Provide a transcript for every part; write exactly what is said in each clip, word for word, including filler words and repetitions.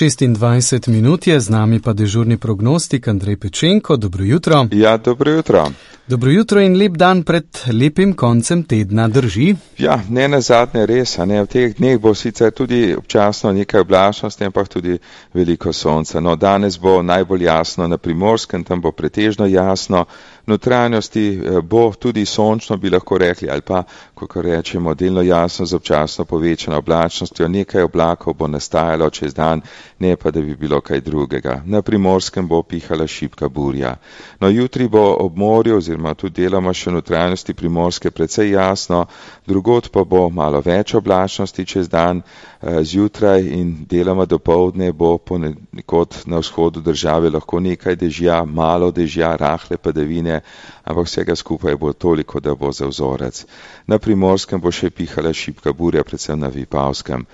šestindvajset minut je, z nami pa dežurni prognostik Andrej Pečenko. Dobro jutro. Ja, dobro jutro. Dobro jutro in lep dan pred lepim koncem tedna, drži? Ja, ne nazadnje res, a ne, v teh dneh bo sicer tudi občasno nekaj oblačnosti, ampak tudi veliko sonca. No, danes bo najbolj jasno na Primorskem, tam bo pretežno jasno, v notranjosti bo tudi sončno, bi lahko rekli, ali pa, kako rečemo, delno jasno z občasno povečano oblačnostjo. Nekaj oblakov bo nastajalo čez dan, ne pa, da bi bilo kaj drugega. Na Primorskem bo pihala šibka burja. No, jutri bo ob morju, oziroma tudi deloma še v notranjosti Primorske precej jasno, drugod pa bo malo več oblačnosti čez dan, zjutraj in deloma dopoldne bo ponekod na vzhodu države lahko nekaj dežja, malo dežja, rahle padavine, ampak vsega skupaj bo toliko, da bo za vzorec. Na Primorskem bo še pihala šibka burja, predvsem na Vipavskem.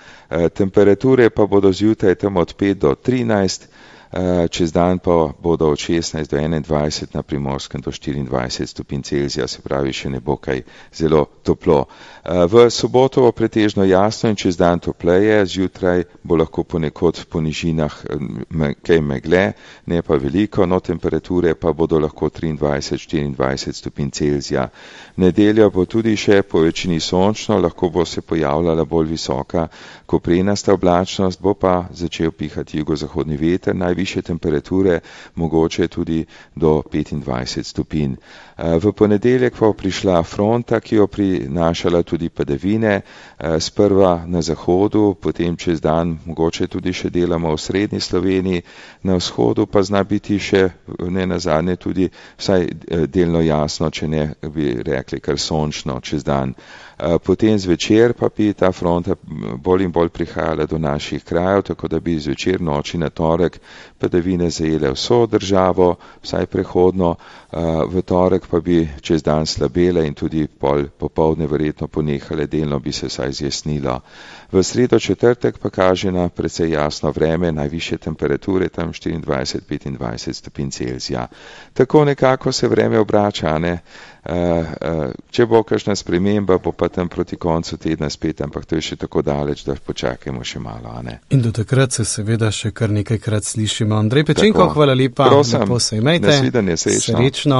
Temperature pa bodo zjutraj tam od pet do trinajst, čez dan pa bodo od šestnajst do enaindvajset, na Primorskem do štiriindvajset stopinj Celzija, se pravi še ne bo kaj zelo toplo. V soboto bo pretežno jasno in čez dan topleje, zjutraj bo lahko ponekod po nižinah kaj megle, ne pa veliko, no temperature pa bodo lahko triindvajset do štiriindvajset stopinj Celzija. Nedelja bo tudi še po večini sončno, lahko bo se pojavljala bolj visoka koprenasta oblačnost, bo pa začel pihati jugozahodni veter, najvišje temperature mogoče tudi do petindvajset stopinj. V ponedeljek pa prišla fronta, ki jo prinašala tudi padavine, sprva na zahodu, potem čez dan mogoče tudi še delamo v srednji Sloveniji, na vzhodu pa zna biti še ne nazadnje tudi vsaj delno jasno, če ne bi rekli kar sončno čez dan. Potem zvečer pa bi ta fronta bolj in bolj prihajala do naših krajev, tako da bi zvečer noči na torek padavine zajele vso državo, vsaj prehodno, v torek pa bi čez dan slabele in tudi pol popoldne verjetno ponehale, delno bi se vsaj zjasnilo. V sredo četrtek pa kaže na precej jasno vreme, najvišje temperature tam štiriindvajset do petindvajset stopinj Celzija. Tako nekako se vreme obrača, ne? Uh, uh, če bo kakšna sprememba, bo pa tam proti koncu tedna spet, ampak to je še tako daleč, da počakajmo še malo, a ne? In do takrat se seveda še kar nekajkrat slišimo. Andrej Pečenko, hvala lepa. Prosim, lepo se imejte. Nasvidenje, srečno. Srečno.